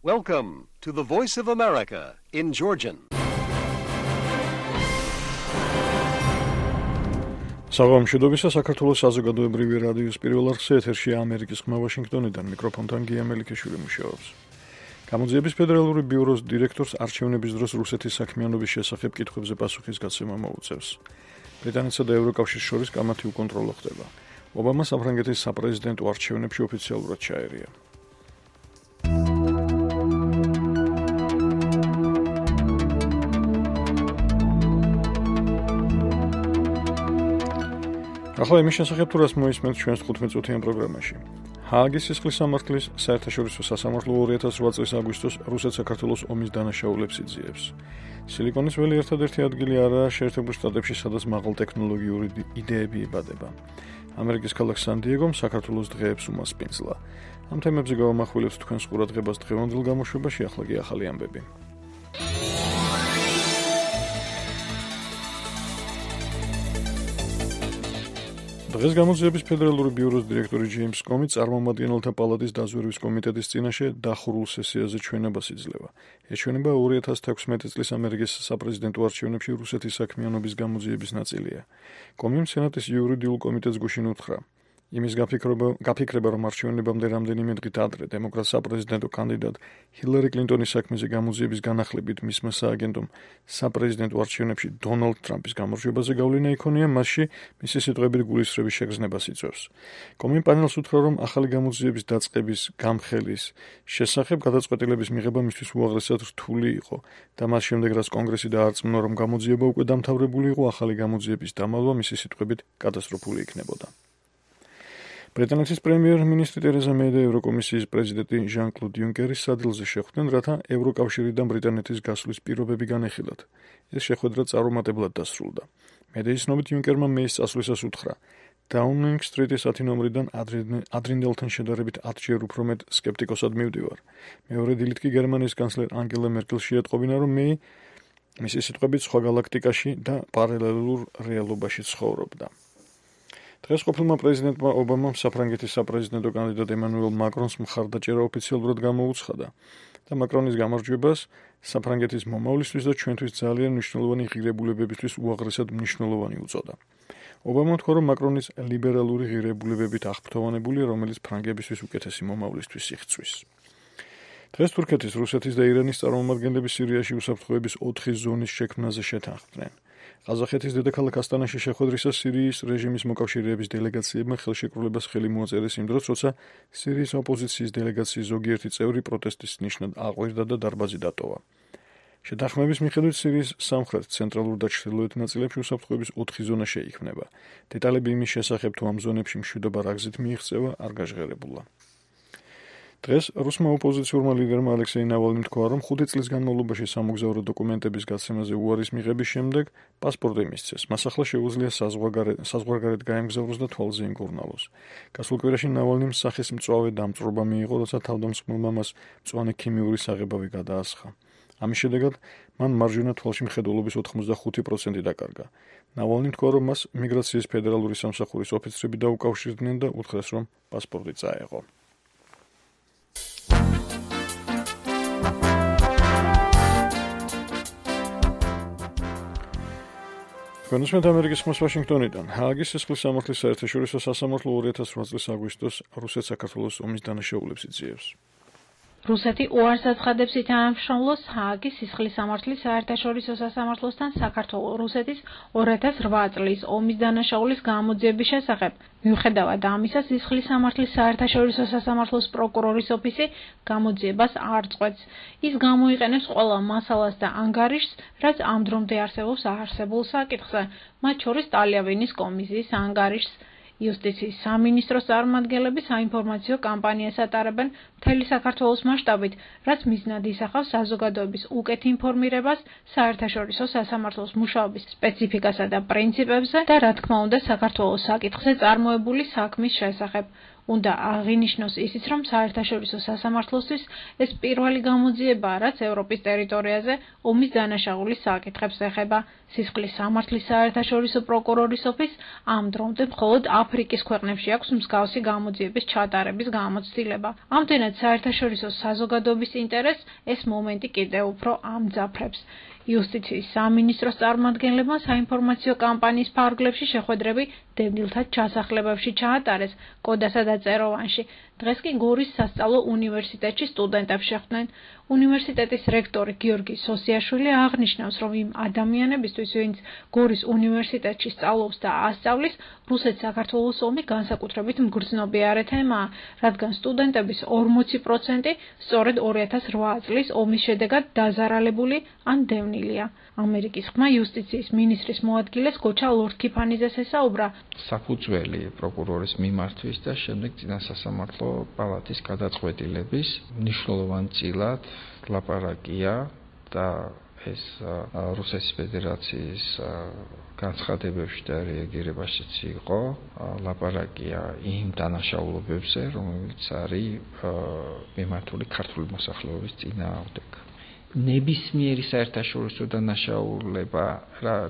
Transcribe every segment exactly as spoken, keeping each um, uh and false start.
Welcome to the Voice of America in Georgian. საღამოშიდობისა საქართველოს საზოგადოებრივი რადიოს პირველ არხზე ეთერშია ამერიკის ხმა ვაშინგტონიდან მიკროფონთან გია მელიქიშვილი მუშაობს. გამოძიების ფედერალური ბიუროს დირექტორს არჩევნების დროს რუსეთის საქმიანობის შესახებ კითხვებზე პასუხის გაცემა მოუწევს. ბრიტანეთსა და ევროკავშირის შორის კამათი უკონტროლო ხდება. ობამა საფრანგეთის საპრეზიდენტო არჩევნებში ოფიციალურად ჩაერია. ახლა იმის შესახებ თუ რას მოისმენთ ჩვენს თხუთმეტწუთიან პროგრამაში. ჰააგის სისხლის სამართლის საერთაშორისო სასამართლო ორი ათას ოთხ წლის აგვისტოს რუსეთ-საქართველოს ომის დანაშაულებს იძიებს. სილიკონის ველი ერთადერთი ადგილი არაა შეერთებულ შტატებში, სადაც მაღალტექნოლოგიური იდეები იბადება. ამერიკის ქალაქ სან-დიეგომ საქართველოს დღეებს უმასპინძლა. ამ თემებზე გავამახვილებთ თქვენს ყურადღებას დღევანდელ გამოშვებაში, ახლა კი ახალი ამბები. დღეს გამოძიების ფედერალური ბიუროს დირექტორი ჯეიმს კომი წარმომადგენელთა პალატის დაზვერვის კომიტეტის წინაშე დახურულ სესიაზე ჩვენებას იძლევა. ეს ჩვენება ორი ათას თექვსმეტი წლის ამერიკის საპრეზიდენტო არჩევნებში რუსეთის საქმიანობის გამოძიების ნაწილია. კომიმ სენატის იურიდიულ კომიტეტს გუშინ უთხრა. იმის გაფიქრება, გაფიქრება რომ არჩევნებამდე რამდენიმე დღით ადრე დემოკრატ საპრეზიდენტო კანდიდატ ჰილარი კლინტონის საქმეზე გამოძიების განახლებით მისმა სააგენტომ საპრეზიდენტო არჩევნებში დონალდ ტრამპის გამარჯვებაზე გავლენა იქონია, მასში მისი სიტყვებით გულისრევის შეგრძნებას იწვევს. კომი პანელს უთხრა, რომ ახალი გამოძიების დაწყების გამხელის შესახებ გადაწყვეტილების მიღება მისთვის უაღრესად რთული იყო და მას შემდეგ რაც კონგრესი დაარწმუნა, რომ გამოძიება უკვე დამთავრებული იყო, ახალი გამოძიების დამალვა მისი სიტყვებით კატასტროფული იქნებოდა. ბრიტანეთის პრემიერ-მინისტრი ტერეზა მეი და ევროკომისიის პრეზიდენტი ჟან-კლოდ იუნკერი სადილზე შეხვდნენ, რათა ევროკავშირიდან ბრიტანეთის გასვლის პირობები განეხილათ. ეს შეხვედრა წარუმატებლად დასრულდა. მედიის ცნობით იუნკერმა მეის წასვლისას უთხრა: დაუნინგ სტრიტის ათი ნომრიდან ადრინდელთან შედარებით ათჯერ უფრო მეტ სკეპტიკოსად მივდივარ. მეორე დილით კი გერმანიის კანცლერ ანგელა მერკელს შეატყობინა, რომ მეი მისი სიტყვებით სხვა გალაქტიკაში და პარალელურ რეალობაში ცხოვრობდა. დღეს ყოფილმა პრეზიდენტმა ობამამ საფრანგეთის საპრეზიდენტო კანდიდატ ემანუელ მაკრონს მხარდაჭერა ოფიციალურად გამოუცხადა და მაკრონის გამარჯვებას საფრანგეთის მომავლისთვის და ჩვენთვის ძალიან მნიშვნელოვანი ღირებულებებისთვის უაღრესად მნიშვნელოვანი უწოდა. ობამამ თქვა, რომ მაკრონის ლიბერალური ღირებულებებით აღფრთოვანებულია, რომელიც ფრანგებისთვის უკეთესი მომავლისთვის იღწვის. დღეს თურქეთის, რუსეთის და ირანის წარმომადგენლები სირიაში უსაფრთხოების ოთხი ზონის შექმნაზე შეთანხმდნენ. ყაზახეთის დედაქალაქ ასტანაში შეხვედრისას სირიის რეჟიმის მოკავშირეების დელეგაციებმა ხელშეკრულებას ხელი მოაწერეს იმ დროს, როცა სირიის ოპოზიციის დელეგაციის ზოგიერთი წევრი პროტესტის ნიშნად აყვირდა და დარბაზი დატოვა. შეთანხმების მიხედვით სირიის სამხრეთ, ცენტრალურ და ჩრდილოეთ ნაწილებში უსაფრთხოების ოთხი ზონა შეიქმნება. დეტალები იმის შესახებ, თუ ამ ზონებში მშვიდობა რა გზით მიიღწევა, არ გაჟღერებულა. დღეს რუსმა ოპოზიციურმა ლიდერმა ალექსეი ნავალნიმ თქვა, რომ ხუთი წლის განმავლობაში სამოგზაურო დოკუმენტების გაცემაზე უარის მიღების შემდეგ პასპორტი მისცეს. მას ახლა შეუძლია საზღვარგარეთ გაემგზავროს და თვალზე იმკურნალოს. გასულ კვირაში ნავალნიმ სახის მწვავე დამწვრობა მიიღო, როცა თავდამსხმელმა მას მწვანე ქიმიური საღებავი გადაასხა. ამის შედეგად მან მარჯვენა თვალში მხედველობის ოთხმოცდახუთი პროცენტი დაკარგა. ნავალნიმ თქვა, რომ მას მიგრაციის ფედერალური სამსახურის ოფიცრები დაუკავშირდნენ და უთხრეს, რომ პასპორტი წაეღო. განსხვავებით ამერიკის ხმას ვაშინგტონიდან, ჰააგის სისხლის სამართლის საერთაშორისო სასამართლო ორი ათას ოთხ წლის აგვისტოს რუსეთ-საქართველოს ომის დანაშაულებს იძიებს. რუსეთი უარს აცხადებს ითანამშრომლოს ჰააგის სისხლის სამართლის საერთაშორისო სასამართლოსთან საქართველოს რუსეთის ორი ათას ოთხ წლის ომის დანაშაულის გამოძიების შესახებ. მიუხედავად ამისა, სისხლის სამართლის საერთაშორისო სასამართლოს პროკურორის ოფისი გამოძიებას არ წყვეტს. ის გამოიყენებს ყველა მასალას და ანგარიშს, რაც ამ დრომდე არსებობს არსებულ საკითხზე, მათ შორის ტალიავინის კომისიის ანგარიშს. იუსტიციის სამინისტროს წარმომადგენლები საინფორმაციო კამპანიას ატარებენ მთელი საქართველოს მასშტაბით, რაც მიზნად ისახავს საზოგადოების უკეთ ინფორმირებას საერთაშორისო სასამართლოს მუშაობის სპეციფიკასა და პრინციპებზე და რა თქმა უნდა საქართველოს საკითხზე წარმოებული საქმის შესახებ. უნდა აღინიშნოს ისიც, რომ საერთაშორისო სასამართლოსთვის ეს პირველი გამოძიებაა, რაც ევროპის ტერიტორიაზე ომის დანაშაულის საკითხებს ეხება. სისხლის სამართლის საერთაშორისო პროკურორის ოფისს ამ დრომდე მხოლოდ აფრიკის ქვეყნებში აქვს მსგავსი გამოძიების ჩატარების გამოცდილება. ამდენად საერთაშორისო საზოგადოების ინტერესს ეს მომენტი კიდევ უფრო ამძაფრებს. იუსტიციის სამინისტროს წარმომადგენლებმა საინფორმაციო კამპანიის ფარგლებში შეხვედრები დევნილთა ჩასახლებებში ჩაატარეს კოდასა და წეროვანში. დღეს კი გორის სასწავლო უნივერსიტეტში სტუდენტებს შეხვდნენ. უნივერსიტეტის რექტორი გიორგი სოსიაშვილი აღნიშნავს, რომ იმ ადამიანებისთვის, ვინც გორის უნივერსიტეტში სწავლობს და ასწავლის, რუსეთ-საქართველოს ომი განსაკუთრებით მგრძნობიარე თემაა, რადგან სტუდენტების ორმოცი პროცენტი სწორედ ორი ათას რვა წლის ომის შედეგად დაზარალებული ან დევნილია. ამერიკის ხმა იუსტიციის მინისტრის მოადგილეს გოჩა ლორთქიფანიძეს ესაუბრა. საფუძველი პროკურორის მიმართვის და შემდეგ წინასასამართლო პალატის გადაწყვეტილების მნიშვნელოვანწილად ლაპარაკია და ეს რუსეთის ფედერაციის განცხადებებში და რეაგირებაშიც იყო ლაპარაკია იმ დანაშაულობებზე, რომელიც არის მიმართული ქართული მოსახლეობის წინააღმდეგ. ნებისმიერი საერთაშორისო დანაშაულება,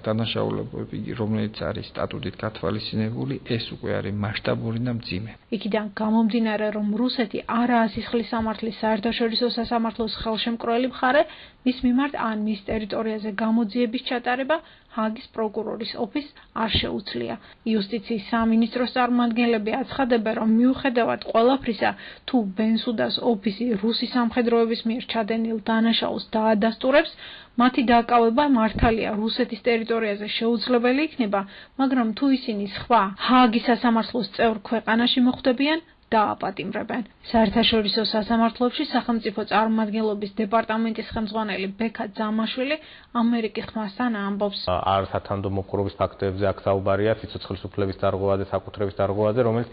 დანაშაულებები, რომელიც არის სტატუტით გათვალისწინებული, ეს უკვე არის მასშტაბური და მძიმე. იქიდან გამომდინარე, რომ რუსეთი არაა სისხლის სამართლის საერთაშორისო სასამართლოს ხელშემკრელი მხარე, მის მიმართ ან მის ტერიტორიაზე გამოძიების ჩატარება ჰააგის პროკურორის ოფისს არ შეუძლია. იუსტიციის სამინისტროს წარმომადგენლები აცხადებენ, რომ მიუხედავად ყველაფრისა, თუ ბენსუდას ოფისი რუსი სამხედროების მიერ ჩადენილ დანაშაულს დაადასტურებს, მათი დაკავება მართალია რუსეთის ტერიტორიაზე შეუძლებელი იქნება, მაგრამ თუ ისინი სხვა ჰააგის სასამართლოს წევრ ქვეყანაში მოხვდებიან, დააპატიმრებენ. საერთაშორისო სასამართლოებში სახელმწიფო წარმომადგენლობის დეპარტამენტის ხელმძღვანელი ბექა ძამაშვილი ამერიკის ხმასთან ამბობს. არ სათანადო მოპყრობის ფაქტებზე აქ საუბარია სიცოცხლის უფლების დარღვევაზე, საკუთრების დარღვევაზე, რომელიც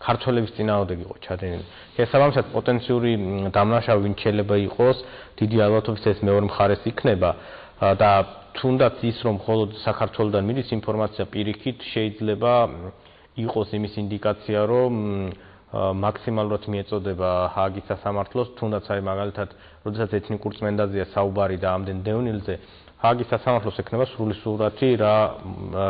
ქართველების წინააღმდეგ იყო ჩადენილი. შესაბამისად, პოტენციური დამნაშავე ვინც შეიძლება იყოს, დიდი ალბათობით ეს მეორე მხარეს იქნება და თუნდაც ის, რომ მხოლოდ საქართველოსდან მიდის ინფორმაცია პირიქით, შეიძლება იყოს იმის ინდიკაცია, რომ მაქსიმალურად მიეწოდება ჰააგის სასამართლოს, თუნდაც აი მაგალითად, როდესაც ეთნიკურ წმენდაზეა საუბარი და ამდენ დევნილზე, ჰააგის სასამართლოს ექნება სრული სურათი, რა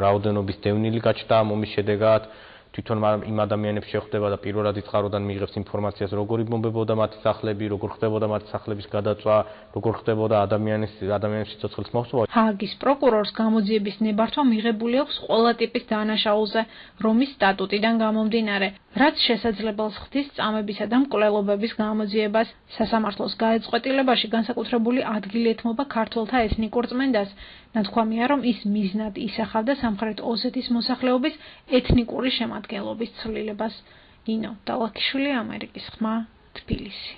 რაოდენობის დევნილი გაჩნდა ამ ომის შედეგად, თვითონ იმ ადამიანებს შეხვდება და პირველად იწყაროდან მიიღებს ინფორმაციას, როგორ იბომბებოდა მათი სახლები, როგორ ხდებოდა მათი სახლების გადაწვა, როგორ ხდებოდა ადამიანის ადამიანის სიცოცხლის მოხსნა. ჰააგის პროკურორს გამოძიების ნებართვა მიღებული აქვს ყველა ტიპის დანაშაულზე, რომის სტატუტიდან გამომდინარე, რაც შესაძლებელს ხდის წამებისა და მკვლელობების გამოძიებას. სასამართლოს გადაწყვეტილებაში განსაკუთრებული ადგილი ეთმობა ქართველთა ეთნიკურ წმენდას. ნათქვამია, რომ ის მიზნად ისახავდა სამხრეთ ოსეთის მოსახლეობის ეთნიკური შემადგენლობის ცვლილებას. ნინო დალაქიშვილი, ამერიკის ხმა, თბილისი.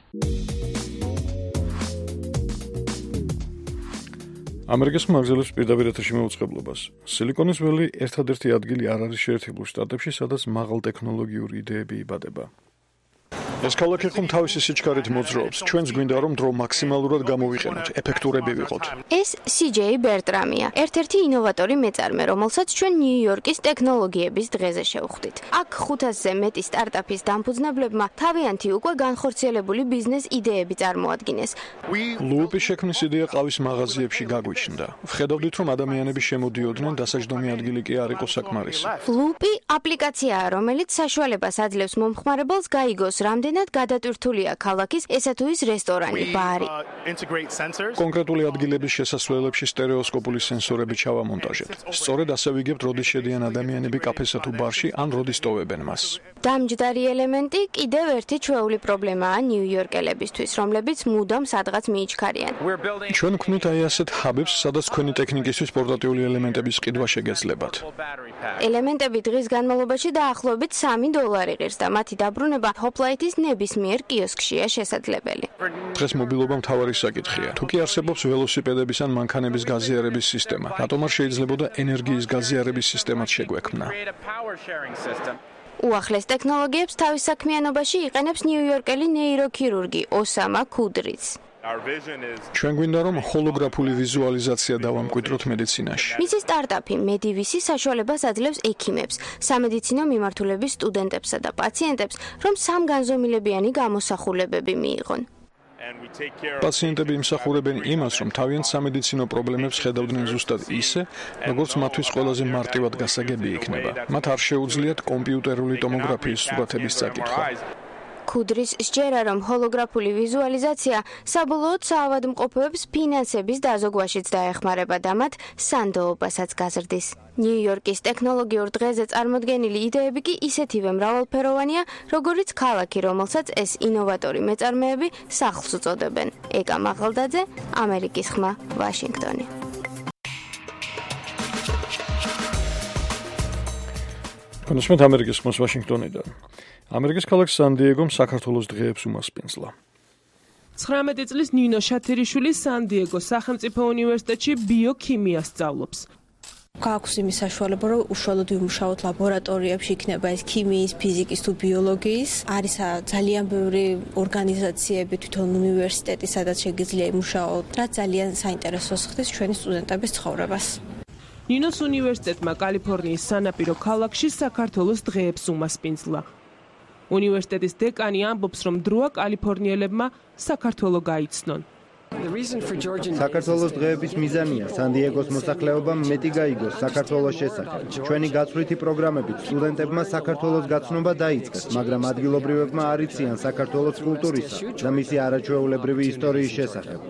ამერიკის ხმა აგზელებს პირდაპირ ეთერში მეუწყებლობას. სილიკონის ველი ერთადერთი ადგილი არ არის შეერთებულ შტატებში, სადაც მაღალ ტექნოლოგიური იდეები იბადება. ეს ქალაქი ხომ თავისი სიჩქარით მოძრაობს. ჩვენც გვინდა რომ დრო მაქსიმალურად გამოვიყენოთ, ეფექტურები ვიყოთ. ეს სი ჯეი ბერტრამია, ერთ-ერთი ინოვატორი მეწარმე, რომელსაც ჩვენ ნიუ-იორკის ტექნოლოგიების დღეზე შევხვდით. აქ ხუთასზე მეტი სტარტაპის დამფუძნებლებმა თავიანთი უკვე განხორციელებული ბიზნეს იდეები წარმოადგინეს. ლუპის შექმნის იდეა ყავის მაღაზიებში გაგვიჩნდა. ვხედავდით, რომ ადამიანები შემოდიოდნენ, დასაჯდომი ადგილი კი არ იყო საკმარისი. ლუპი აპლიკაციაა, რომელიც საშუალებას აძლევს მომხმარებელს გაიგოს, რამდენი რამდენად გადატვირთულია ქალაქის ესა თუ ის რესტორანი, ბარი. კონკრეტული ადგილების შესასვლელებში სტერეოსკოპული სენსორები ჩავამონტაჟებთ. სწორედ ასე ვიგებთ, როდის შედიან ადამიანები კაფესა თუ ბარში, ან როდის ტოვებენ მას. დამჯდარი ელემენტი კიდევ ერთი ჩვეული პრობლემაა ნიუ-იორკელებისთვის, რომლებიც მუდამ სადღაც მიიჩქარიან. ჩვენ ვქმნით აი ასეთ ჰაბებს, სადაც თქვენი ტექნიკისთვის პორტატიული ელემენტების ყიდვა შეგეძლებათ. ელემენტები დღის განმავლობაში დაახლოებით სამი დოლარი ღირს და მათი დაბრუნება ჰოპლაითის ნებისმიერ კიოსკშია შესაძლებელი. დღეს მობილობა მთავარი საკითხია. თუ კი არსებობს ველოსიპედების ან მანქანების გაზიარების სისტემა, რატომ არ შეიძლებოდა ენერგიის გაზიარების სისტემაც შეგვექმნა? უახლეს ტექნოლოგიებს თავის საქმიანობაში იყენებს ნიუ-იორკელი ნეიროქირურგი ოსამა ქუდრიც. ჩვენ გვინდა რომ ჰოლოგრაფული ვიზუალიზაცია დავამკვიდროთ მედიცინაში. მისი სტარტაპი მედივისი საშუალებას აძლევს ექიმებს, სამედიცინო მიმართულების სტუდენტებსა და პაციენტებს, რომ სამგანზომილებიანი გამოსახულებები მიიღონ. პაციენტები იმსახურებენ იმას, რომ თავიანთ სამედიცინო პრობლემებს ხედავდნენ ზუსტად ისე, როგორც მათთვის ყველაზე მარტივად გასაგები იქნება. მათ არ შეუძლიათ კომპიუტერული ტომოგრაფიის სურათების წაკითხვა. ქუდრის სჯერა, რომ ჰოლოგრაფული ვიზუალიზაცია საბოლოოდ საავადმყოფოებს ფინანსების დაზოგვაშიც დაეხმარება და მათ სანდოობასაც გაზრდის. ნიუ-იორკის ტექნოლოგიურ დღეზე წარმოდგენილი იდეები კი ისეთივე მრავალფეროვანია, როგორიც ქალაქი, რომელსაც ეს ინოვატორი მეწარმეები სახლს უწოდებენ. ეკა მაღალდაძე, ამერიკის ხმა, ვაშინგტონი. კონსმეთ ამერიკის ხმას ვაშინგტონიდან. ამერიკის ქალაქ სან-დიეგომ საქართველოს დღეებს უმასპინძლა. ცხრამეტი წლის ნინო შათერიშვილი სან-დიეგოს სახელმწიფო უნივერსიტეტში ბიოქიმიას სწავლობს. გაქვს იმის საშუალება, რომ უშუალოდ ვიმუშაოთ ლაბორატორიებში, იქნება ეს ქიმიის, ფიზიკის თუ ბიოლოგიის. არის ძალიან ბევრი ორგანიზაციები, თვითონ უნივერსიტეტი, სადაც შეგიძლია იმუშაოთ, რაც ძალიან საინტერესოს ხდის ჩვენი სტუდენტების ცხოვრებას. ნინოს უნივერსიტეტმა კალიფორნიის სანაპირო ქალაქში საქართველოს დღეებს უმასპინძლა. უნივერსიტეტის დეკანი ამბობს, რომ დროა კალიფორნიელებმა საქართველო გაიცნონ. საქართველოს დღეების მიზანია სან-დიეგოს მოსახლეობამ მეტი გაიგოს საქართველოს შესახებ. ჩვენი გაცვლითი პროგრამებით სტუდენტებმა საქართველოს გაცნობა დაიწყეს, მაგრამ ადგილობრივებმა არ იციან საქართველოს კულტურისა და მისი არაჩვეულებრივი ისტორიის შესახებ.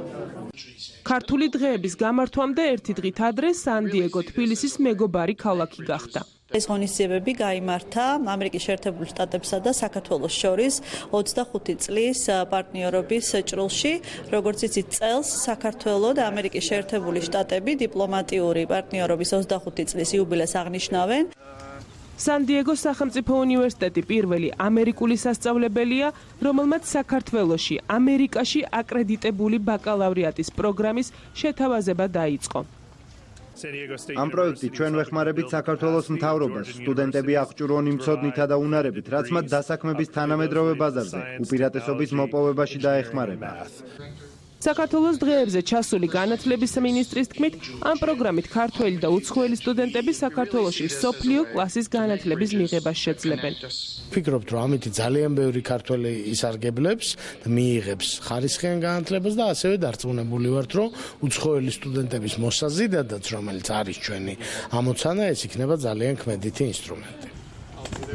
ქართული დღეების გამართვამდე ერთი დღით ადრე სან-დიეგო თბილისის მეგობარი ქალაქი გახდა. ეს ღონისძიებები გაიმართა ამერიკის შეერთებულ შტატებსა და საქართველოს შორის ოცდახუთი წლის პარტნიორობის ჭრილში, როგორც იცით, წელს საქართველო და ამერიკის შეერთებული შტატები დიპლომატიური პარტნიორობის ოცდახუთი წლის იუბილეს აღნიშნავენ. სან-დიეგოს სახელმწიფო უნივერსიტეტი პირველი ამერიკული სასწავლებელია, რომელმაც საქართველოში, ამერიკაში აკრედიტებული ბაკალავრიატის პროგრამის შეთავაზება დაიწყო. ამ პროექტით ჩვენ ვეხმარებით საქართველოს მთავრობას, სტუდენტები აღჭურვონ იმ ცოდნითა და უნარებით, რაც მათ დასაქმების თანამედროვე ბაზარზე, უპირატესობის მოპოვებაში დაეხმარება. საქართველოს დღეებზე ჩასული განათლების მინისტრის თქმით, ამ პროგრამით ქართველი და უცხოელი სტუდენტები საქართველოში მსოფლიო კლასის განათლების მიღებას შეძლებენ. ვფიქრობთ, რომ ამით ძალიან ბევრი ქართველი ისარგებლებს და მიიღებს ხარისხიან განათლებას და ასევე დარწმუნებული ვართ, რომ უცხოელი სტუდენტების მოსაზიდადაც, რომელიც არის ჩვენი ამოცანა, ეს იქნება ძალიან ქმედითი ინსტრუმენტი.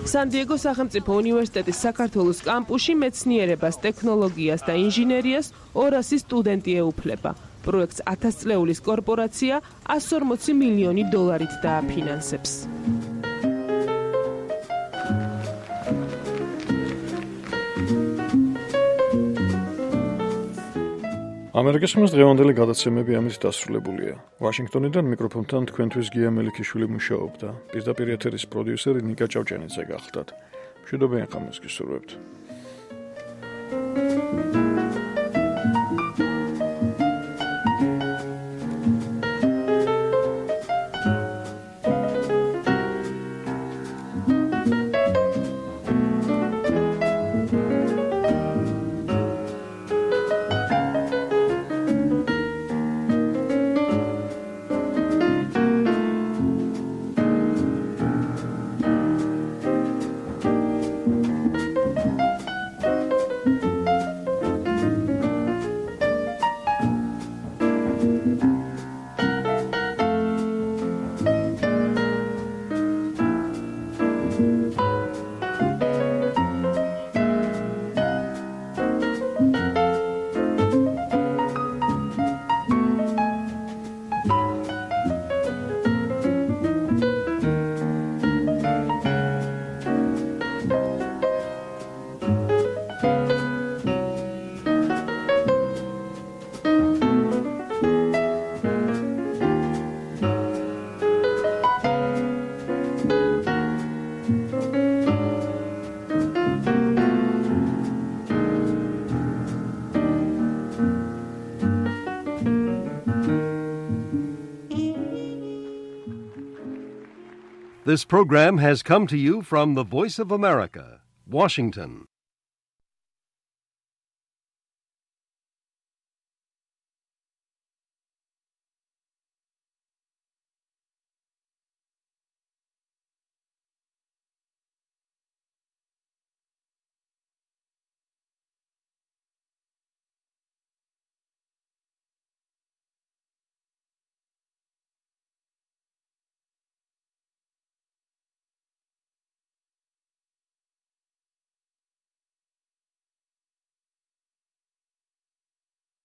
სან-დიეგოს სახელმწიფო უნივერსიტეტის საქართველოს კამპუსში მეცნიერებას, ტექნოლოგიას და ინჟინერიას ორასი სტუდენტი ეუფლება. პროექტს ათასწლეულის კორპორაცია εκατს ორმოცი მილიონი დოლარით დააფინანსებს. ამერიკის ხმის დღევანდელი გადაცემები ამით დასრულებულია. ვაშინგტონიდან მიკროფონთან თქვენთვის გია მელიქიშვილი მუშაობდა. პირდაპირ ეთერის პროდიუსერი ნიკა ჭავჭანიძე გახლდათ. მშვიდობიან ხამს გისურვებთ. This program has come to you from the Voice of America, Washington.